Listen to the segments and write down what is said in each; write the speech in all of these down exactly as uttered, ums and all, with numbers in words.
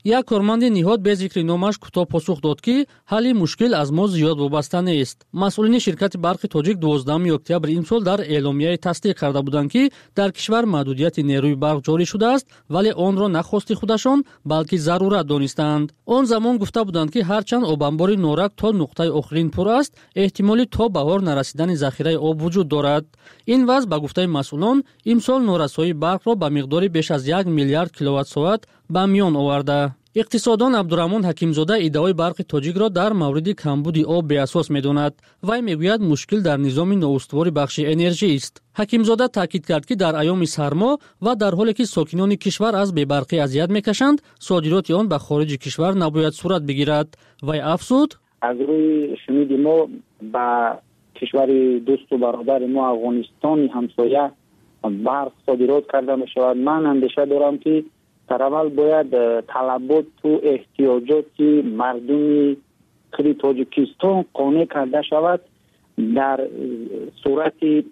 Як корманди ниҳод бе зикри номаш кӯтоҳ посух дод, ки ҳалли мушкил аз мо зиёд вобаста нест. Масъулини ширкати барқи тоҷик дувоздаҳуми октябри имсол дар эъломияе тасдиқ карда буданд, ки дар кишвар маҳдудияти нерӯи барқ ҷорӣ шудааст, вале онро на хости худашон, балки зарурат донистаанд. Он замон гуфта буданд, ки ҳарчанд обанбори Норак то нуқтаи охирин пур аст, эҳтимоли то баҳор нарасидани захираи об вуҷуд дорад. Ин вазъ ба гуфтаи масъулон имсол норасоии барқро ба миқдори беш аз як миллиард киловатт-соат ба миён оварда. Иқтисодон Абдураҳмон Ҳакимзода иддаои барқи тоҷикро дар мавриди камбуди об беасос медонад. Вай мегӯяд, мушкил дар низоми ноустувори бахши энержист. Ҳакимзода таъкид кард, ки дар айёми сармо ва дар ҳоле ки сокинони кишвар аз бебарқӣ азият мекашанд, содироти он ба хориҷи кишвар набояд сурат бигирад. Вай афзуд: аз рӯи шуниди мо ба кишвари дӯсту бародари мо Афғонистони ҳамсоя барқ содирот карда мешавад. Ман андеша дорам, ки дар аввал бояд талаботу эҳтиёҷоти мардуми худи Тоҷикистон қонеъ карда шавад. Дар сурати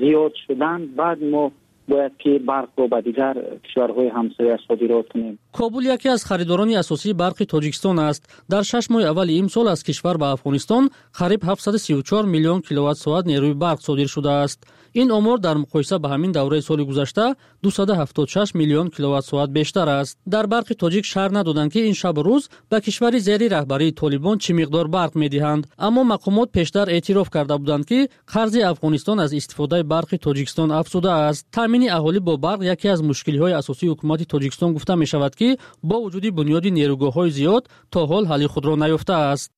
зиёд шудан баъд мо бояд ки барқро ба дигар кишварҳои ҳамсоя содирот кунем. Кобул яке аз харидорони асосии барқи Тоҷикистон аст. Дар шаш моҳи аввали имсол аз кишвар ба Афғонистон қариб ҳафтсаду сию чор миллион киловатт-соат нерӯи барқ содир шудааст. Ин омор дар муқоиса ба ҳамин давраи соли гузашта дусаду ҳафтоду шаш миллион киловатт-соат бештар аст. Дар барқи тоҷик шарҳ надоданд, ки ин шабу рӯз ба кишвари зери раҳбарии Толибон чӣ миқдор барқ медиҳанд. Аммо мақомот пештар эътироф карда буданд, ки қарзи Афғонистон аз истифодаи барқи Тоҷикистон афзудааст. Таъмини аҳолӣ бо барқ яке аз мушкилиҳои асосии ҳукумати Тоҷикистон гуфта мешавад, ки бо вуҷуди бунёди нерӯгоҳҳои зиёд то ҳол ҳалли худро наёфтааст.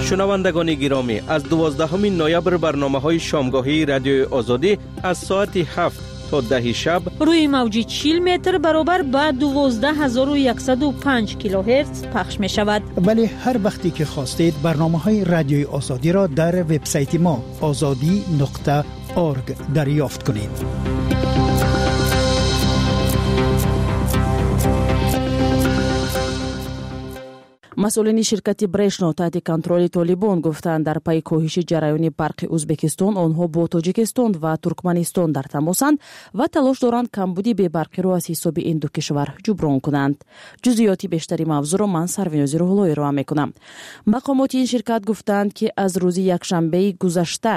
шунавандагони гиромӣ, аз дувоздаҳуми ноябр барномаҳои шомгоҳии Радиои Озодӣ аз соати ҳафт то даҳи шаб рӯи мавҷи чил метр баробар ба дувоздаҳ ҳазору яксаду панҷ килогерц пахш мешавад. вале ҳар вақте ки хостед барномаҳои Радиои Озодиро дар вебсайти мо озодӣ нуқта орг дарёфт кунед. Масъулини ширкати Брешно таҳти контроли Толибон гуфтанд, дар пайи коҳиши ҷараёни барқи Ӯзбекистон онҳо бо Тоҷикистон ва Туркманистон дар тамосанд ва талош доранд камбуди бебарқиро аз ҳисоби ин ду кишвар ҷуброн кунанд. Ҷузъиёти бештари мавзӯъро ман Сарвинози Рӯҳулло ироа мекунам. Мақомоти ин ширкат гуфтанд, ки аз рӯзи якшанбеи гузашта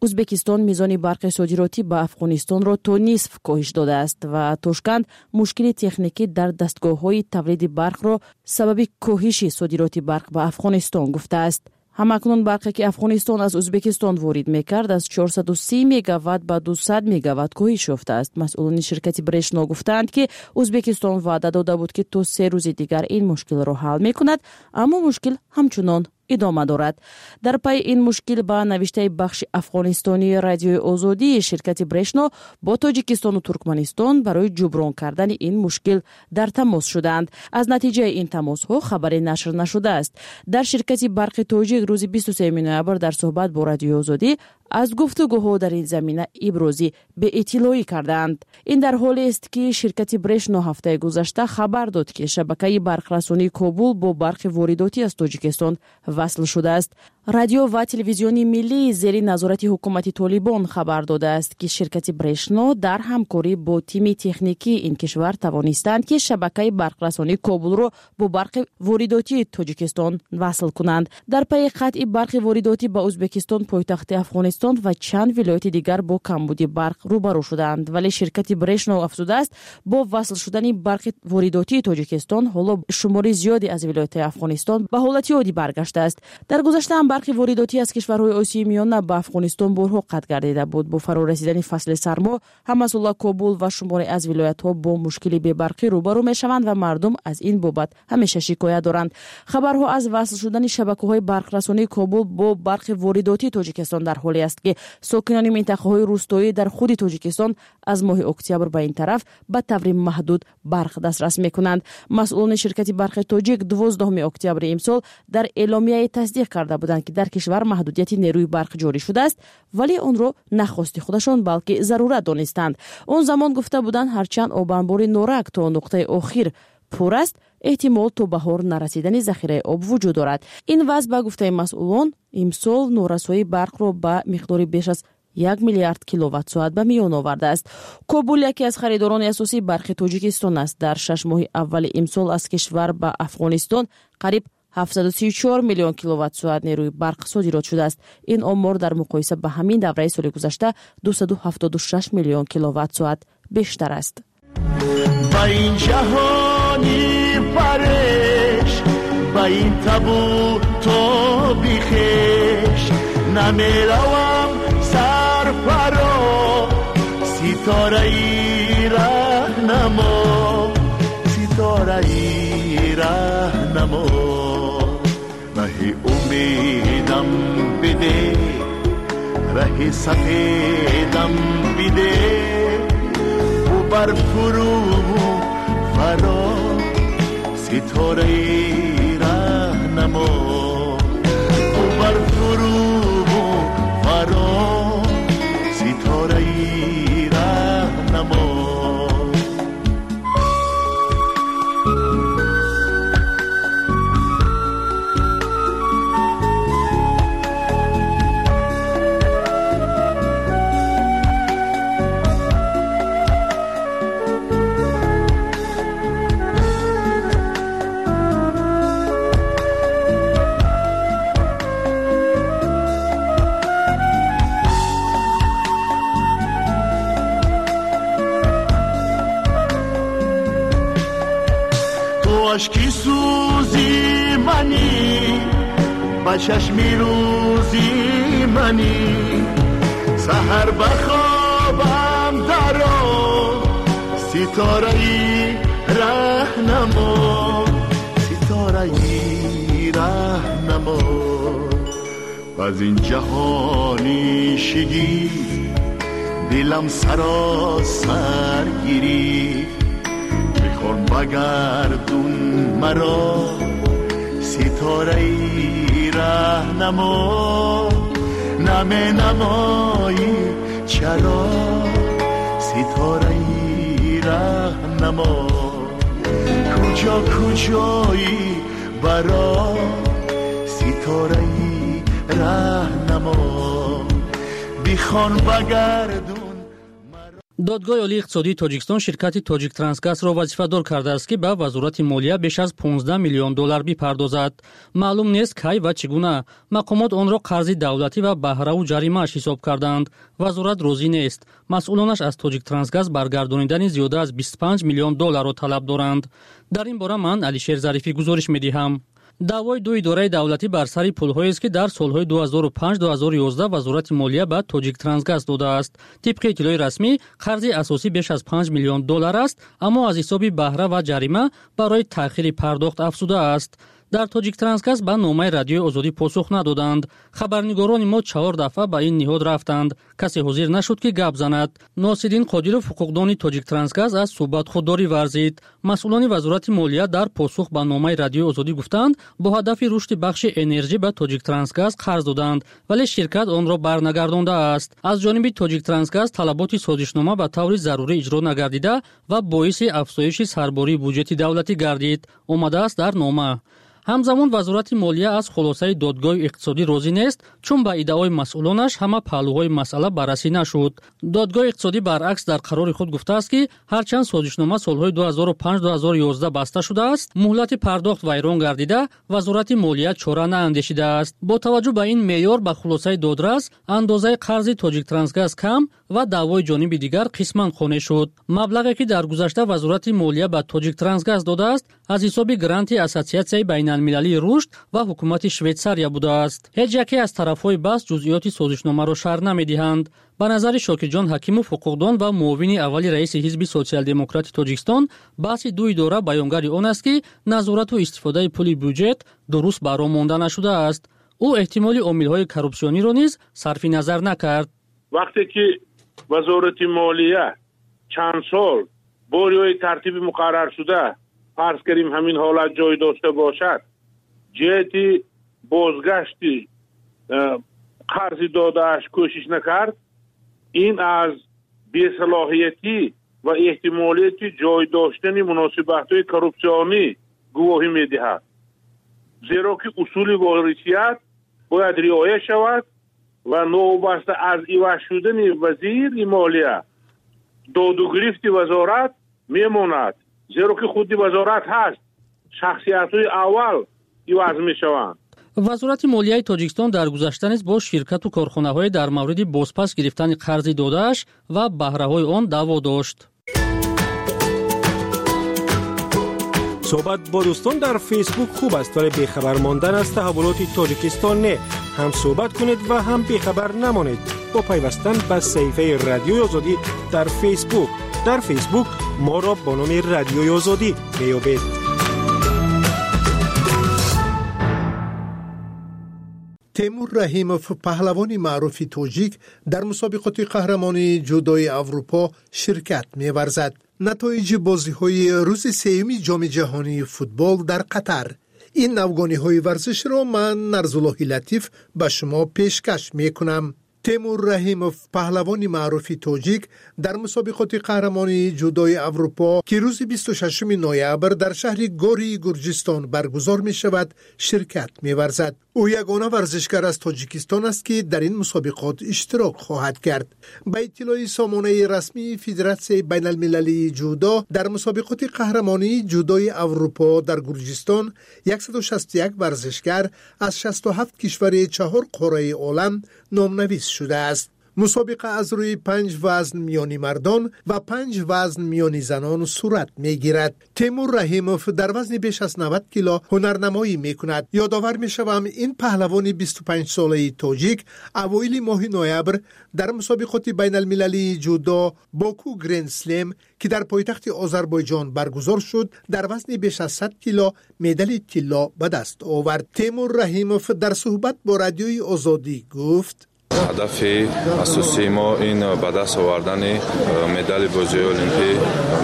Ӯзбекистон мизони барқи содиротӣ ба Афғонистонро то нисф коҳиш додааст ва Тошканд мушкили техникӣ дар дастгоҳҳои тавлиди барқро сабаби коҳиши содироти барқ ба Афғонистон гуфтааст. Ҳамакнун барқе ки Афғонистон аз Ӯзбекистон ворид мекард, аз чорсаду си мегаватт ба дусад мегаватт коҳиш ёфтааст. Масъулони ширкати Брешно гуфтаанд, ки Ӯзбекистон ваъда дода буд, ки то се рӯзи дигар ин мушкилро ҳал мекунад, аммо мушкил ҳамчунон идома дорад. Дар пайи ин мушкил ба навиштаи бахши афғонистонии Радиои Озодии ширкати Брешно бо Тоҷикистону Туркманистон барои ҷуброн кардани ин мушкил дар тамос шуданд. Аз натиҷаи ин тамосҳо хабаре нашр нашудааст. Дар ширкати барқи тоҷик рӯзи бисту сеюми ноябр дар суҳбат бо Радиои Озодӣ аз гуфтугӯҳо дар ин замина иброзӣ беиттилоӣ кардаанд. Ин дар ҳолест, ки ширкати Брешно ҳафтаи гузашта хабар дод, ки шабакаи барқрасонии Кобул бо барқи воридотӣ аз Тоҷикистон васл шудааст. Радио ва телевизиони миллӣ зери назорати ҳукумати Толибон хабар додааст, ки ширкати Брешно дар ҳамкорӣ бо тими техникии ин кишвар тавонистанд, ки шабакаи барқрасонии Кобулро бо барқи воридотии Тоҷикистон васл кунанд. Дар пайи қатъи барқи воридотӣ ба Ӯзбекистон, пойтахти Афғонистон ва чанд вилояти дигар бо камбуди барқ рӯбарӯ шуданд. Вале ширкати Брешно афзудааст, бо васл шудани барқи воридотии Тоҷикистон ҳоло шумори зиёде аз вилоятҳои Афғонистон ба ҳолати оддӣ баргаштааст. Дар гузашта ҳам барқи воридотӣ аз кишварҳои Осиёи Миёна ба Афғонистон борҳо қатъ гардида буд. Бо фаро расидани фасли сармо ҳамасола Кобул ва шуморе аз вилоятҳо бо мушкили бебарқӣ рӯбарӯ мешаванд ва мардум аз ин бобат ҳамеша шикоят доранд. Хабарҳо аз васл шудани шабакаҳои барқрасонии Кобул бо барқи воридотии Тоҷикистон дар ҳоле аст, ки сокинони минтақаҳои рӯстоӣ дар худи Тоҷикистон аз моҳи октябр ба ин тараф ба таври маҳдуд барқ дастрас мекунанд. Масъулони ширкати барқи тоҷик дувоздаҳуми октябри имсол дар эъломияе тасдиқ карда буданд, ки дар кишвар маҳдудияти нерӯи барқ ҷорӣ шудааст, вале онро на хости худашон, балки зарурат донистанд. Он замон гуфта буданд, ҳарчанд обанбори Норак то нуқтаи охир пур аст, эҳтимол то баҳор нарасидани захираи об вуҷуд дорад. Ин вазъ ба гуфтаи масъулон имсол норасоии барқро ба миқдори беш аз як миллиард киловатт-соат ба миён овардааст. Кобул яке аз харидорони асосии барқи Тоҷикистон аст. Дар шаш моҳи аввали имсол аз кишвар ба Афғонистон қариб ҳафтсаду сию чор миллион киловатт-соат нерӯи барқ содирот шудааст. Ин омор дар муқоиса ба ҳамин давраи соли гузашта дусаду ҳафтоду шаш миллион киловатт-соат бештар аст. Ба ин ҷаҳони пареш, ба ин табу тоби хеш, намеравам сарфаро, ситораи раҳнамо, ситораи раҳнамо. Раҳи умедам биде, раҳи сафедам биде, бар фурӯ фаро, ситораи раҳнамо, бар фурӯ фаро, ситораи раҳнамо. Ашки сӯзи манӣ, ба чашми рӯзи манӣ, саҳар ба хобам даро, ситораи раҳнамо, ситораи раҳнамо. Аз ин ҷаҳони шигифт дилам саросар гирифт, бихор багардун маро, ситораи раҳнамо, наменамоӣ чаро, ситораи раҳнамо. Куҷо куҷоӣ баро, ситораи раҳнамо, бихон багардун. Додгоҳи олии иқтисодии Тоҷикистон ширкати Тоҷиктрансгазро вазифадор кардааст, ки ба вазорати молия беш аз понздаҳ миллион доллар бипардозад. Маълум нест кай ва чӣ гуна. Мақомот онро қарзи давлатӣ ва баҳраву ҷаримааш ҳисоб карданд. Вазорат розӣ нест. Масъулонаш аз Тоҷиктрансгаз баргардонидани зиёда аз бисту панҷ миллион долларро талаб доранд. Дар ин бора ман Алишер Зарифӣ гузориш медиҳам. Даъвои ду идораи давлатӣ бар сари пулҳоест, ки дар солҳои ду ҳазору панҷ ду ҳазору ёздаҳ вазорати молия ба Тоҷиктрансгаз додааст. Тибқи иттилои расмӣ, қарзи асосӣ беш аз панҷ миллион доллар аст, аммо аз ҳисоби баҳра ва ҷарима барои таъхири пардохт афзудааст. Дар Тоҷиктрансгаз ба номаи радиои Озодӣ посух надоданд. Хабарнигорони мо чаҳор дафъа ба ин ниҳод рафтанд. Касе ҳозир нашуд, ки гап занад. Носириддин Қодиров, ҳуқуқдони Тоҷиктрансгаз, аз суҳбат худдорӣ варзид. Масъулони вазорати молия дар посух ба номаи радиои Озодӣ гуфтанд, бо ҳадафи рушди бахши энержӣ ба Тоҷиктрансгаз қарз доданд, вале ширкат онро барнагардондааст. Аз ҷониби Тоҷиктрансгаз талаботи созишнома ба таври зарурӣ иҷро нагардида ва боиси афзоиши сарбории буҷети давлатӣ гардид, омадааст дар нома. Ҳамзамон вазорати молия аз хулосаи додгоҳи иқтисодӣ розӣ нест, чун ба иддаои масъулонаш ҳама паҳлӯҳои масъала баррасӣ нашуд. Додгоҳи иқтисодӣ баръакс дар қарори худ гуфтааст, ки ҳарчанд созишнома солҳои ду ҳазору панҷ ду ҳазору ёздаҳ баста шудааст, муҳлати пардохт вайрон гардида, вазорати молия чора наандешидааст. Бо таваҷҷӯҳ ба ин меъёр ба хулосаи додрас, андозаи қарзи Тоҷиктрансгаз кам ва даъвои ҷониби дигар қисман қонеъ шуд. Маблағе ки дар гузашта вазорати молия ба Тоҷиктрансгаз додааст, аз ҳисоби гранти Ассотсиатсияи байналмилалии рушд ва ҳукумати Швейтсария будааст. Ҳеҷ яке аз тарафҳои баҳс ҷузъиёти созишномаро шарҳ намедиҳанд. Ба назари Шокирҷон Ҳакимов, ҳуқуқдон ва муовини аввали раиси ҳизби Социал-демократи Тоҷикистон, баҳси ду идора баёнгари он аст, ки назорату истифодаи пули бюҷет дуруст ба роҳ монда нашудааст. Ӯ эҳтимоли омилҳои коррупсиониро низ сарфи назар накард. Вақте ки вазорати молия чанд сол бо риояи тартиби муқарраршуда, фарз кардем ҳамин ҳолат ҷой дошта бошад, ҷиҳати бозгашти қарзи додааш кӯшиш накард, ин аз бесалоҳиятӣ ва эҳтимолияти ҷой доштани муносибатҳои коррупсионӣ гувоҳӣ медиҳад. Зеро ки усули ворисият бояд риоя шавад Ва новобаста аз иваз шудани вазири молия доду гирифти вазорат мемонад, зеро ки худи вазорат ҳаст, шахсиятҳои аввал иваз мешаванд. Вазорати молияи Тоҷикистон дар гузашта низ бо ширкату корхонаҳое дар мавриди бозпас гирифтани қарзи додааш ва баҳраҳои он даъво дошт. Суҳбат бо дӯстон дар Фейсбук хуб аст, вале бехабар мондан аз таҳаввулоти Тоҷикистон не. Ҳам суҳбат кунед ва ҳам бехабар намонед бо пайвастан ба саҳифаи Радиои Озодӣ дар Фейсбук. Дар Фейсбук моро бо номи Радиои Озодӣ меёбед. Темур Раҳимов, паҳлавони маъруфи тоҷик, дар мусобиқоти қаҳрамонии ҷудои Аврупо ширкат меварзад. Натоиҷи бозиҳои рӯзи сеюми Ҷоми ҷаҳонии футбол дар Қатар. Ин навгониҳои варзишро ман, Нарзуллоҳи Латиф, ба шумо пешкаш мекунам. Темур Раҳимов, паҳлавони маъруфи тоҷик, дар мусобиқоти қаҳрамонии ҷудои Аврупо, ки рӯзи бисту шашуми ноябр дар шаҳри Гории Гурҷистон баргузор мешавад, ширкат меварзад. Ӯ ягона варзишгар аз Тоҷикистон аст, ки дар ин мусобиқот иштирок хоҳад кард. Ба иттилои сомонаи расмии Федератсияи байналмилалии ҷудо, дар мусобиқоти қаҳрамонии ҷудои Аврупо дар Гурҷистон яксаду шасту як варзишгар аз шасту ҳафт кишвари чаҳор қораи олам номнавис шудааст. Мусобиқа аз рӯи панҷ вазн миёни мардон ва панҷ вазн миёни занон сурат мегирад. Темур Раҳимов дар вазни беш аз навад кило ҳунарнамоӣ мекунад. Ёдовар мешавам, ин паҳлавони бисту панҷсолаи тоҷик авоили моҳи ноябр дар мусобиқоти байналмилалии ҷудо Боку Гренд Слем, ки дар пойтахти Озарбойҷон баргузор шуд, дар вазни беш аз сад кило медали тилло ба даст овард. Темур Раҳимов дар суҳбат бо Радиои Озодӣ гуфт: ҳадафи асосии мо ин ба даст овардани медали бозиҳои олимпӣ,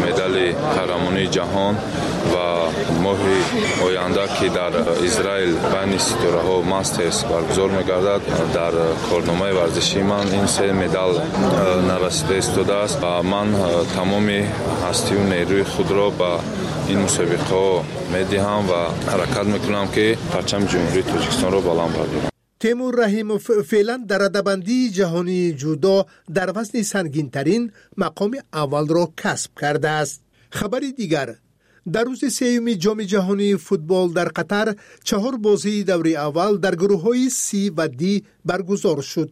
медали қаҳрамонии ҷаҳон ва моҳи оянда, ки дар Израил байни ситораҳо мастерс баргузор мегардад, дар корномаи варзишии ман ин се медал нарасида истодааст ва ман тамоми ҳастию нерӯи худро ба ин мусобиқаҳо медиҳам ва ҳаракат мекунам, ки парчами Ҷумҳурии Тоҷикистонро баланд бардорам. Темур Раҳимов феълан дар радабандии ҷаҳонии ҷудо дар вазни сангинтарин мақоми аввалро касб кардааст. Хабари дигар: дар рӯзи сеюми Ҷоми ҷаҳонии футбол дар Қатар чаҳор бозии даври аввал дар гурӯҳҳои С ва Д баргузор шуд.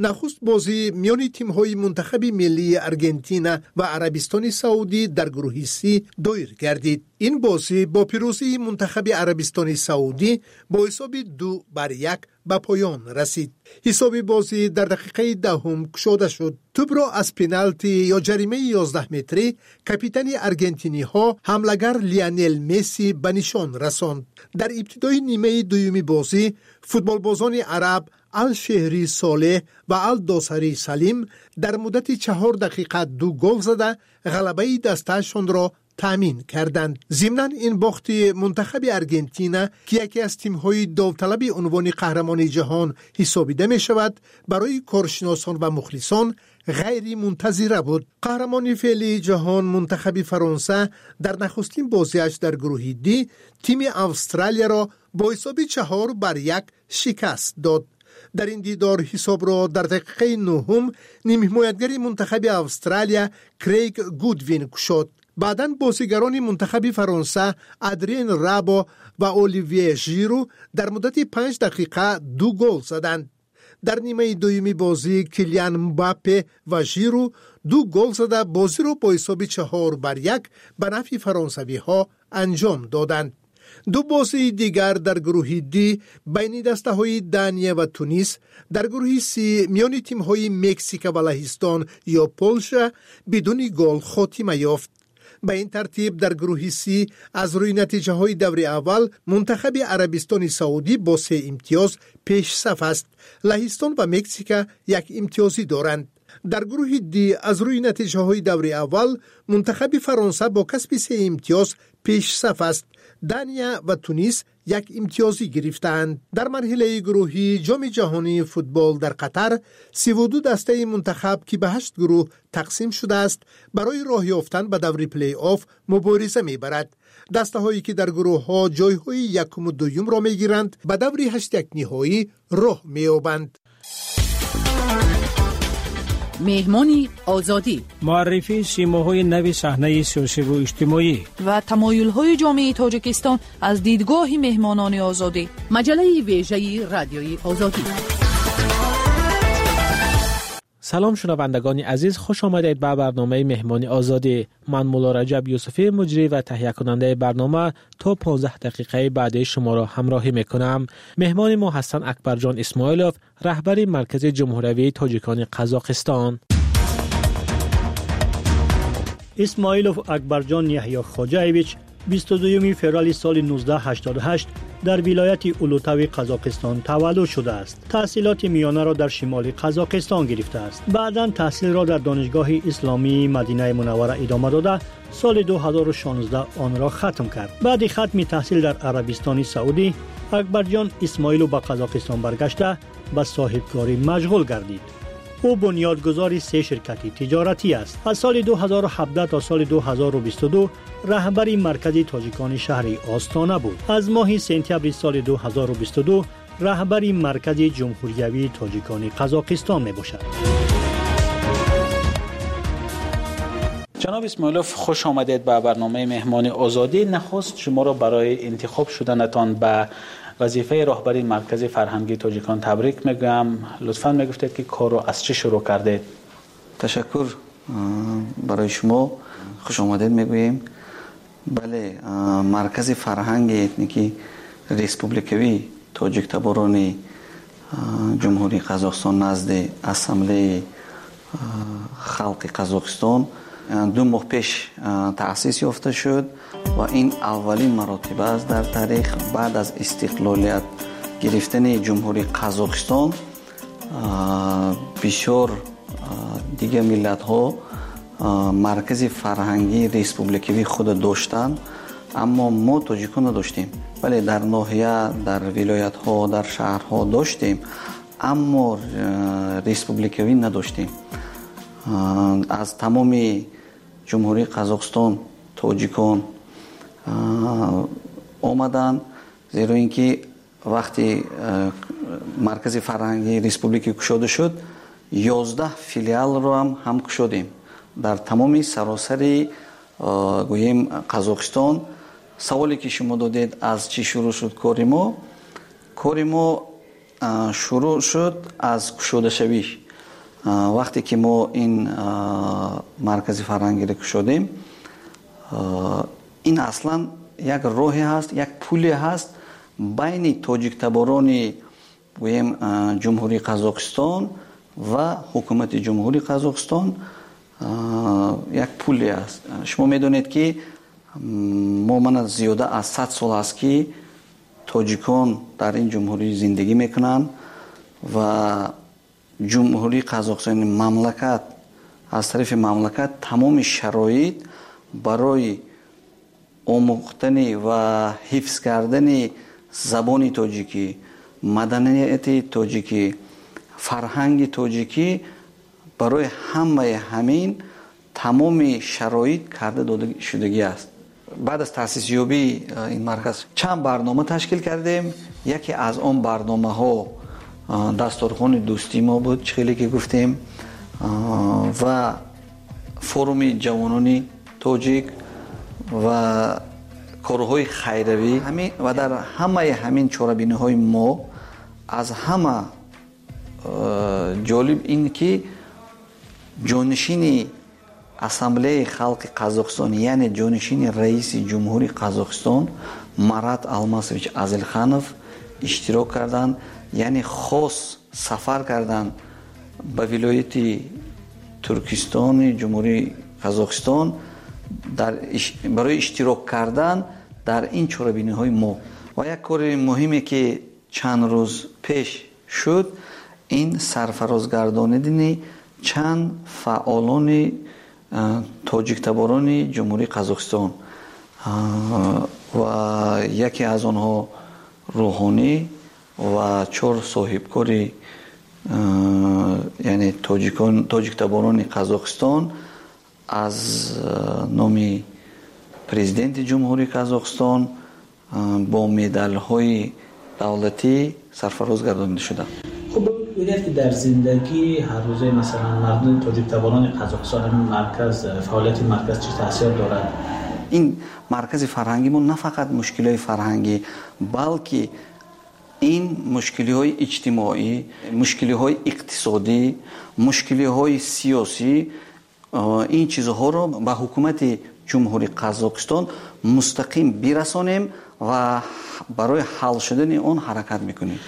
Нахуст бозӣ миёни тимҳои мунтахаби миллии Аргентина ва Арабистони Саудӣ дар гурӯҳи С доир гардид. Ин бозӣ бо пирӯзии мунтахаби Арабистони Саудӣ бо ҳисоби ду бар як ба поён расид. Ҳисоби бозӣ дар дақиқаи даҳум кушода шуд. Тӯбро аз пеналти ё ҷаримаи ёздаҳ метрӣ капитани аргентиниҳо ҳамлагар Лионел Месси ба нишон расонд. Дар ибтидои нимаи дуюми бозӣ футболбозони араб Ал-Шеҳри Солеҳ ва Ал-Досари Салим дар муддати чаҳор дақиқа ду гол зада ғалабаи дастаашонро таъмин карданд. Зимнан ин бохти мунтахаби Аргентина, ки яке аз тимҳои довталаби унвони қаҳрамони ҷаҳон ҳисобида мешавад, барои коршиносон ва мухлисон ғайримунтазира буд. Қаҳрамони феълии ҷаҳон мунтахаби Фаронса дар нахустин бозиаш дар гурӯҳи Д тими Австралияро бо ҳисоби чаҳор бар як шикаст дод. Дар ин дидор ҳисобро дар дақиқаи нуҳум нимҳимоятгари мунтахаби Австралия Крейг Гудвин кушод. Баъдан бозигарони мунтахаби Фаронса Адриен Рабо ва Оливье Жиру дар муддати панҷ дақиқа ду гол заданд. Дар нимаи дуюми бозӣ Килиан Мбаппе ва Жиру ду гол зада бозиро бо ҳисоби чаҳор бар як ба нафъи фаронсавиҳо анҷом доданд. Ду бозии дигар дар гурӯҳи Д байни дастаҳои Дания ва Тунис, дар гурӯҳи С миёни тимҳои Мексика ва Лаҳистон ё Полша бидуни гол хотима ёфт. Ба ин тартиб дар гурӯҳи С аз рӯи натиҷаҳои даври аввал мунтахаби Арабистони Саудӣ бо се имтиёз пешсаф аст. Лаҳистон ва Мексика як имтиёзӣ доранд. Дар гурӯҳи Д аз рӯи натиҷаҳои даври аввал мунтахаби Фаронса бо касби се имтиёз пешсаф аст. Дания ва Тунис як имтиёзӣ гирифтаанд. Дар марҳилаи гурӯҳии Ҷоми ҷаҳонии футбол дар Қатар сиву ду дастаи мунтахаб, ки ба ҳашт гурӯҳ тақсим шудааст, барои роҳ ёфтан ба даври плей-офф мубориза мебарад. Дастаҳое ки дар гурӯҳҳо ҷойҳои якуму дуюмро мегиранд, ба даври ҳаштякниҳоӣ роҳ меёбанд. Меҳмони Озодӣ, муаррифии симоҳои нави саҳнаи сиёсиву иҷтимоӣ ва тамоюлҳои ҷомеаи Тоҷикистон аз дидгоҳи меҳмонони Озодӣ. Маҷаллаи вежаи Радиои Озодӣ. Салом, шунавандагони азиз, хуш омадед ба барномаи Меҳмони Озодӣ. Ман Мулло Раҷаб Юсуфӣ, муҷрӣ ва таҳиякунандаи барнома, то понздаҳ дақиқаи баъди шуморо ҳамроҳӣ мекунам. Меҳмони мо ҳастанд Акбарҷон Исмоилов, раҳбари Маркази Ҷумҳуриявии Тоҷикони Қазоқистон. Исмоилов Акбарҷон Яҳё Хоҷаевич бисту дуюми феврали соли нуздаҳ ҳаштоду ҳашт дар вилояти Улутави Қазоқистон таваллуд шудааст. Таҳсилоти миёнаро дар шимоли Қазоқистон гирифтааст. Баъдан таҳсилро дар Донишгоҳи Исломии Мадинаи Мунаввара идома дода, соли ду ҳазору шонздаҳ онро хатм кард. Баъди хатми таҳсил дар Арабистони Саудӣ, Акбарҷон Исмоилов ба Қазоқистон баргашта ба соҳибкорӣ машғул гардид. Ӯ бунёдгузори се ширкати тиҷоратӣ аст. Аз соли ду ҳазору ҳабдаҳ то соли ду ҳазору бисту ду раҳбари Маркази тоҷикони шаҳри Остона буд. Аз моҳи сентябри соли ду ҳазору бисту ду раҳбари Маркази Ҷумҳуриявии Тоҷикони Қазоқистон мебошад. Ҷаноб Исмоилов, хуш омадед ба барномаи Меҳмони Озодӣ. Нахуст шуморо барои интихоб шуданатон ба вазифаи роҳбари Маркази фарҳангии тоҷикон табрик мегӯям. Лутфан мегуфтед, ки корро аз чӣ шурӯъ кардед? Ташаккур барои шумо, хуш омадед мегӯем. Бале, Маркази фарҳанги этникии республикавии тоҷиктаборони Ҷумҳурии Қазоқистон назди Ассамблеяи халқи Қазоқистон ду моҳ пеш таъсис ёфта шуд ва ин аввалин маротиба аст дар таърих баъд аз истиқлолият гирифтани Ҷумҳурии Қазоқистон. Бисёр дигар миллатҳо маркази фарҳангии республикавии худро доштанд, аммо мо тоҷикон надоштем. Бале, дар ноҳия, дар вилоятҳо, дар шаҳрҳо доштем, аммо республикавӣ надоштем. Аз тамоми Ҷумҳурии Қазоқистон тоҷикон омаданд, зеро ин ки вақти маркази фарҳангии республика кушода шуд, ёздаҳ филиалро ҳам ҳам кушодем дар тамоми саросари гӯем Қазоқистон. Саволе ки шумо додед, аз чӣ шурӯъ шуд кори мо? Кори мо шурӯъ шуд аз кушодашавиш. Вақте ки мо ин маркази фарҳангиро кушодем, ин аслан як роҳе ҳаст, як пуле ҳаст байни тоҷиктаборони гӯем Ҷумҳурии Қазоқистон ва ҳукумати Ҷумҳурии Қазоқистон як пуле аст. Шумо медонед, ки мо мана зиёда аз сад сол аст, ки тоҷикон дар ин ҷумҳурӣ зиндагӣ мекунанд ва Ҷумҳурии Қазоқистон мамлакат аз тарафи мамлакат тамоми шароит барои омӯхтани ва ҳифз кардани забони тоҷикӣ, маданияти тоҷикӣ, фарҳанги тоҷикӣ барои ҳамаи ҳамин тамоми шароит карда дода шудагӣ аст. Баъд аз таъсисёбии ин марказ чанд барнома ташкил кардем. Яке аз он барномаҳо дасторхони дӯстии мо буд, чӣ хеле ки гуфтем, ва форуми ҷавонони тоҷик ва корҳои хайравӣ. Ва дар ҳамаи ҳамин чорабиниҳои мо аз ҳама ҷолиб ин ки ҷонишини Ассамблеяи халқи Қазоқистон, яъне ҷонишини раиси Ҷумҳурии Қазоқистон Марат Алмасович Азилханов иштирок карданд, яъне хос сафар карданд ба вилояти Туркистони Ҷумҳурии Қазоқистон барои иштирок кардан дар ин чорабиниҳои мо. Ва як кори муҳиме ки чанд рӯз пеш шуд, ин сарфарозгардонидани чанд фаъолони тоҷиктаборони Ҷумҳурии Қазоқистон ва яке аз онҳо рӯҳонӣ ва чор соҳибкори яъне тоҷикон тоҷиктаборони Қазоқистон аз номи президенти Ҷумҳурии Қазоқистон бо медалҳои давлатӣ сарфароз гардонида шуданд. Хуб, Бибинед ки дар зиндагии ҳаррӯзаи масалан мардуми тоҷиктаборони Қазоқистон ҳамин марказ, фаъолияти марказ чӣ таъсир дорад? Ин маркази фарҳангӣ мо на фақат мушкилиҳои фарҳангӣ, балки ин мушкилиҳои иҷтимоӣ, мушкилиҳои иқтисодӣ, мушкилиҳои сиёсӣ, ин чизҳоро ба ҳукумати Ҷумҳурии Қазоқистон мустақим бирасонем ва барои ҳал шудани он ҳаракат мекунем.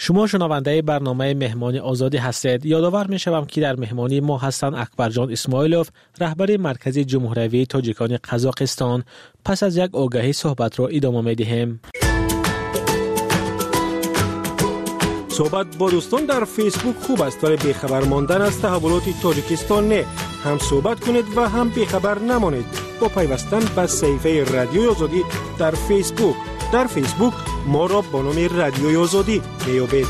Шумо шунавандаи барномаи Меҳмони Озодӣ ҳастед. Ёдовар мешавам ки дар меҳмонии мо ҳастанд Акбарҷон Исмоилов, раҳбари Маркази Ҷумҳуриявии Тоҷикони Қазоқистон. Пас аз як огаҳӣ суҳбатро идома медиҳем. Суҳбат бо дӯстон дар Фейсбук хуб аст, вале бехабар мондан аз таҳаввулоти Тоҷикистон не. Ҳам суҳбат кунед ва ҳам бехабар намонед бо пайвастан ба саҳифаи Радиои Озодӣ дар Фейсбук. Дар Фейсбук моро бо номи Радиои Озодӣ меёбед.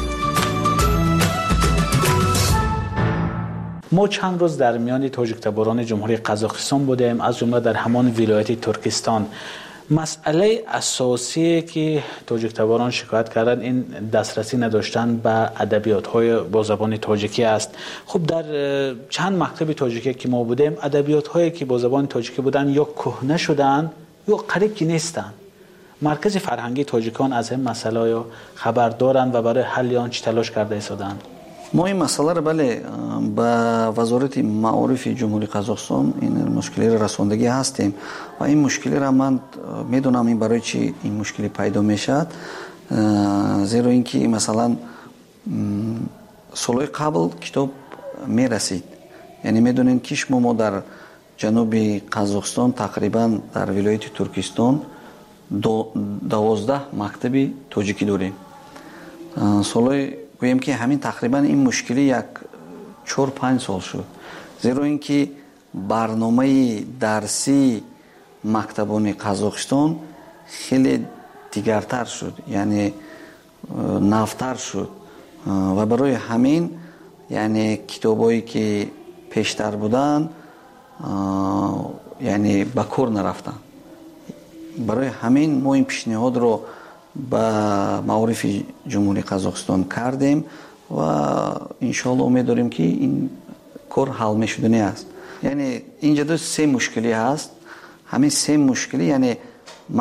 Мо чанд рӯз дар миёни тоҷиктаборони Ҷумҳурии Қазоқистон будем, аз ҷумла дар ҳамон вилояти Туркистон. Масъалаи асосие ки тоҷиктаборон шикоят карданд, ин дастрасӣ надоштан ба адабиётҳои бо забони тоҷикӣ аст. Хуб, дар чанд мактаби тоҷикӣ ки мо будем, адабиётҳое ки бо забони тоҷикӣ буданд ё кӯҳна шуданд ё қариб ки нестанд. Маркази фарҳангии тоҷикон аз ин масъала хабар доранд ва барои ҳалли он чӣ талош карда истоданд? Мо ин масъаларо бале ба Вазорати маорифи Ҷумҳурии Қазоқистон ин мушкилиро расондагӣ ҳастем ва ин мушкилиро ман медонам ин барои чӣ ин мушкилӣ пайдо мешавад, зеро ин ки масалан солҳои қабл китоб мерасид. Яъне медонем ки шумо мо дар ҷануби Қазоқистон тақрибан дар вилояти Туркистон дувоздаҳ мактаби тоҷикӣ дорем. Солҳои гӯем ки ҳамин тақрибан ин мушкилӣ як чор панҷ сол шуд, зеро ин ки барномаи дарсии мактабони Қазоқистон хеле дигартар шуд, яъне навтар шуд ва барои ҳамин яъне китобҳое ки пештар буданд яъне ба кор нарафтанд. Барои ҳамин мо ин пешниҳодро ба маорифи Ҷумҳурии Қазоқистон кардем ва иншоалло умед дорем ки ин кор ҳал мешудани аст. Яъне инҷа ду се мушкилӣ ҳаст. Ҳамин се мушкилӣ, яъне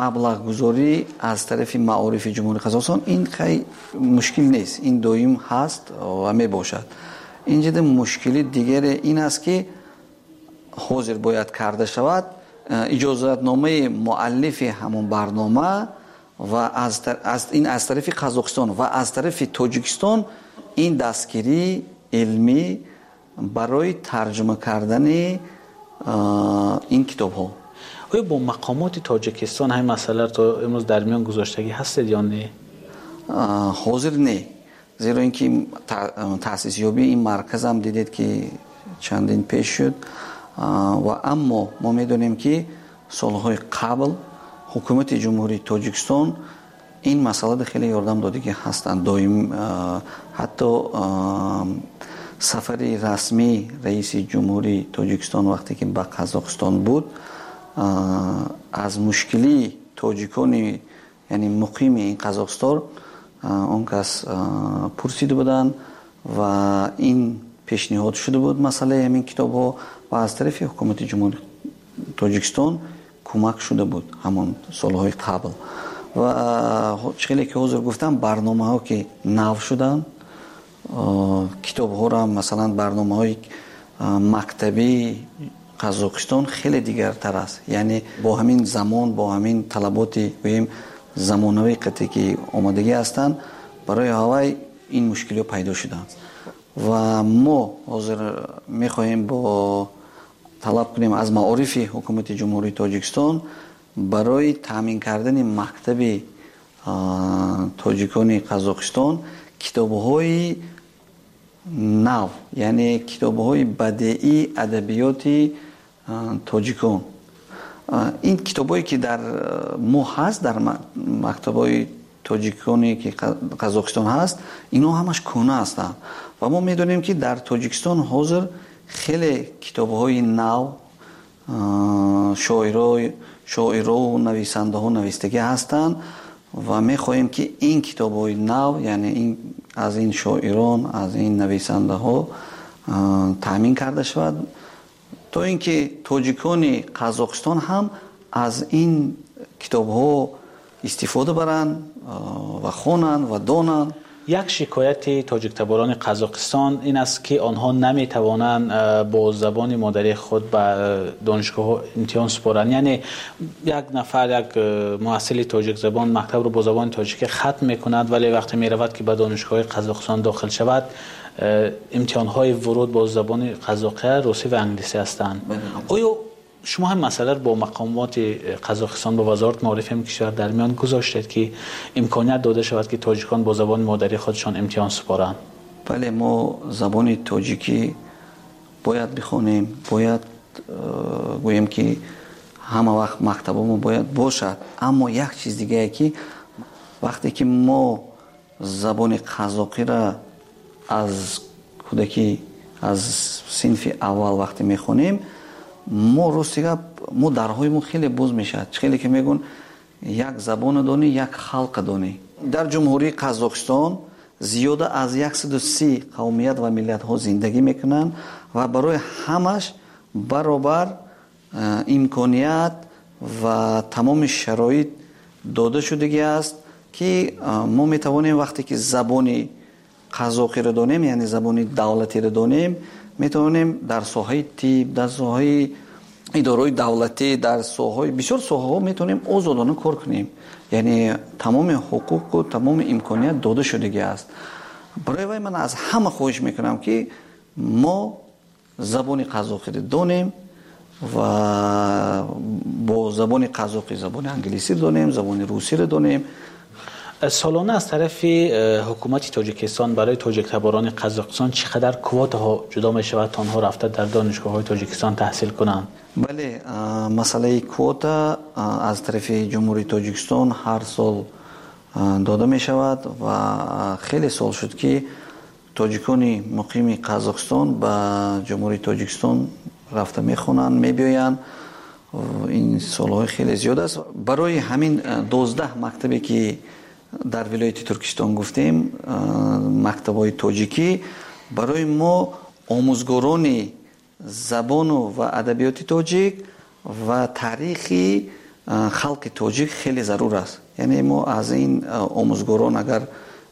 маблағгузорӣ аз тарафи маорифи Ҷумҳурии Қазоқистон, ин хай мушкил нест, ин доим ҳаст ва мебошад. Инҷа ду мушкили дигаре ин аст ки ҳозир бояд карда шавад иҷозатномаи муаллифи ҳамон барнома ва аз, аз, ин аз тарафи Қазоқистон ва аз тарафи Тоҷикистон ин дастгирии илмӣ барои тарҷума кардани ин китобҳо. Оё бо мақомоти Тоҷикистон ҳамин масъаларо то имрӯз дар миён гузоштагӣ ҳастед ё не? Ҳозир не, зеро ин ки таъсисёбии ин марказ ҳам дидед ки чандин пеш шуд ва аммо мо медонем ки солҳои қабл ҳукумати Ҷумҳурии Тоҷикистон ин масъалада хеле ёрдам додагӣ ҳастанд. Доим ҳатто сафари расмии раиси Ҷумҳурии Тоҷикистон вақте ки ба Қазоқистон буд, аз мушкилии тоҷикони яъне муқими ин Қазоқистон он кас пурсида буданд ва ин пешниҳод шуда буд масъалаи ҳамин китобҳо ва аз тарафи ҳукумати Ҷумҳурии Тоҷикистон кӯмак шуда буд ҳамон солҳои қабл. Ва хеле ки ҳозир гуфтам, барномаҳо ки нав шуданд, китобҳоро масалан барномаҳои мактабии Қазоқистон хеле дигартар аст. Яъне бо ҳамин замон, бо ҳамин талаботи гӯем замонавии қате ки омодагӣ ҳастанд, барои ҳавай ин мушкилиҳо пайдо шуданд. Ва мо ҳозир мехоҳем бо талаб кунем аз маорифи ҳукумати Ҷумҳурии Тоҷикистон барои таъмин кардани мактаби тоҷикони Қазоқистон китобҳои нав, яъне китобҳои бадеии адабиёти тоҷикон. Ин китобҳое ки дар мо ҳаст, дар мактабҳои тоҷиконе ки Қазоқистон ҳаст, инҳо ҳамаш кӯҳна ҳастанд ва мо медонем ки дар Тоҷикистон ҳозир хеле китобҳои нав, шоиро шоиро нависандаҳо навистагӣ ҳастанд Ва мехоҳем, ки ин китобҳои нав, яъне ин аз ин шоирон, аз ин нависандаҳо таъмин карда шавад, то ин ки тоҷикони Қазоқистон ҳам аз ин китобҳо истифода баранд ва хонанд ва донанд. Як шикояти тоҷиктаборони Қазоқистон ин аст, ки онҳо наметавонанд бо забони модарии худ ба донишгоҳҳо имтиҳон супоранд. Яъне як нафар, як муҳассили тоҷикзабон мактабро бо забони тоҷикӣ хатм мекунад, вале вақте меравад, ки ба донишгоҳҳои Қазоқистон дохил шавад, имтиҳонҳои вуруд бо забони қазоқия, русӣ ва англисӣ ҳастанд. Оё шумо ҳам масъаларо бо мақомоти Қазоқистон, бо вазорати маорифи ин кишвар дар миён гузоштед, ки имконият дода шавад, ки тоҷикон бо забони модарии худашон имтиҳон супоранд? Бале, мо забони тоҷикӣ бояд бихонем, бояд гӯем, ки ҳама вақт мактабҳо бояд бошад. Аммо як чиз дигае, ки вақте ки мо забони қазоқиро аз кӯдакӣ, аз синфи аввал вақте мехонем, мо рости гап, мо дарҳои мо хеле боз мешавад. Хеле ки мегӯн, як забона донӣ, як халқа донӣ. Дар Ҷумҳурии Қазоқистон зиёда аз яксаду си қавмият ва миллатҳо зиндагӣ мекунанд ва барои ҳамаш баробар имконият ва тамоми шароит дода шудагӣ аст, ки мо метавонем вақте ки забони қазоқиро донем, яъне забони давлатиро донем, метавонем дар соҳаи тиб, дар соҳаи идораҳои давлатӣ, дар соҳаҳои бисёр соҳаҳо метавонем озодона кор кунем. Яъне тамоми ҳуқуқу тамоми имконият дода шудагӣ аст. Барои вай ман аз ҳама хоҳиш мекунам, ки мо забони қазоқиро донем ва бо забони қазоқӣ забони англисиро донем, забони русиро донем. Солона аз тарафи ҳукумати Тоҷикистон барои тоҷиктаборони Қазоқистон чӣ қадар квотаҳо ҷудо мешавад, то онҳо рафта дар донишгоҳҳои Тоҷикистон таҳсил кунанд? Бале, масъалаи квота аз тарафи Ҷумҳурии Тоҷикистон ҳар сол дода мешавад ва хеле сол шуд, ки тоҷикони муқими Қазоқистон ба Ҷумҳурии Тоҷикистон рафта мехонанд, мебиёянд. Ин солҳои хеле зиёд аст. Барои ҳамин дувоздаҳ мактабе, ки дар вилояти Туркистон гуфтем, мактабҳои тоҷикӣ, барои мо омӯзгорони забону ва адабиёти тоҷик ва таърихи халқи тоҷик хеле зарур аст. Яъне мо аз ин омӯзгорон агар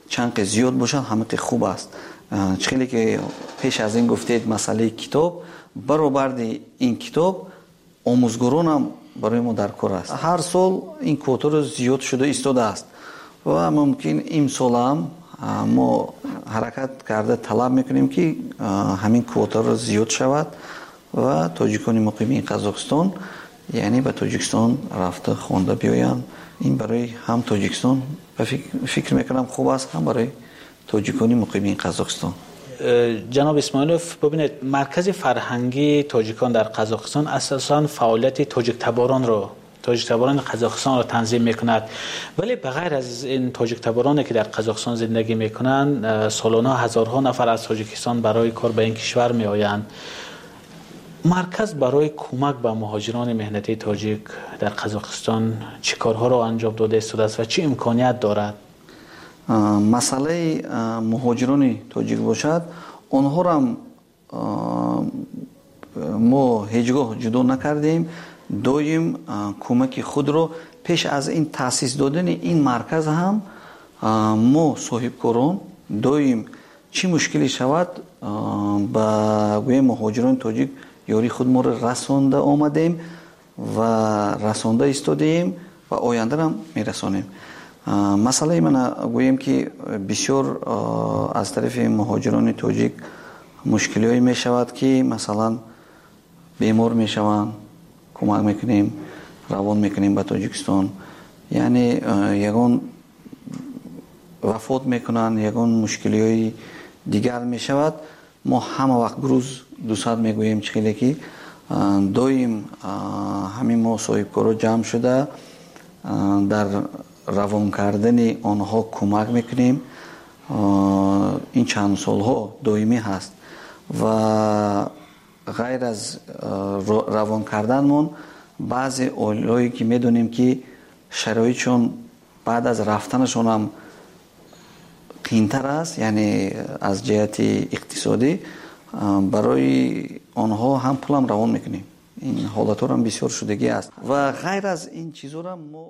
чанд қи зиёд бошанд, ҳамақи хуб аст. Чӣ хеле ки пеш аз ин гуфтед, масъалаи китоб, баробарди ин китоб омӯзгоронам барои мо дар кор аст. Ҳар сол ин квотаро зиёд шуда истодааст ва мумкин имсолам мо ҳаракат карда талаб мекунем, ки ҳамин квотаро зиёд шавад ва тоҷикони муқими Қазоқистон, яъне ба Тоҷикистон рафта хонда биёянд. Ин барои ҳам Тоҷикистон фикр мекунам хуб аст, ҳам барои тоҷикони муқими Қазоқистон. Ҷаноб Исмоилов, бибинед, маркази фарҳангии тоҷикон дар Қазоқистон асосан фаъолияти тоҷиктаборонро, тоҷиктаборони Қазоқистонро танзим мекунад. Вале ба ғайр аз ин тоҷиктабороне, ки дар Қазоқистон зиндагӣ мекунанд, солона ҳазорҳо нафар аз Тоҷикистон барои кор ба ин кишвар меоянд. Марказ барои кӯмак ба муҳоҷирони меҳнатии тоҷик дар Қазоқистон чӣ корҳоро анҷом дода истодааст ва чӣ имконият дорад? Масъалаи муҳоҷирони тоҷик бошад, онҳоро мо ҳеҷ гоҳ ҷудо накардем. Доим кӯмаки худро пеш аз ин таъсис додани ин марказ ҳам мо соҳибкорон доим чӣ мушкиле шавад, ба гӯем муҳоҷирони тоҷик ёрии худ моро расонда омадем ва расонда истодаем ва ояндаам мерасонем. Масъалаи ман гӯем, ки бисёр аз тарафи муҳоҷирони тоҷик мушкилиҳое мешавад, ки масалан бемор мешаванд, кӯмак мекунем, равон мекунем ба Тоҷикистон. Яъне ягон вафот мекунанд, ягон мушкилиҳои дигар мешавад. Мо ҳама вақт груз дусад мегӯем, чӣ хеле ки доим ҳамин мо соҳибкоро ҷамъ шуда дар равон кардани онҳо кӯмак мекунем. Ин чанд солҳо доимӣ ҳаст ва ғайр аз равон карданмон баъзе оилаҳое, ки медонем, ки шароитшон Баъд аз рафтанашон ҳам қийинтар аст, яъне аз ҷиҳати иқтисодӣ барои онҳо ҳам пулам равон мекунем. Ин ҳолатҳоам бисёр шудагӣ аст ва ғайр аз ин чизҳоро мо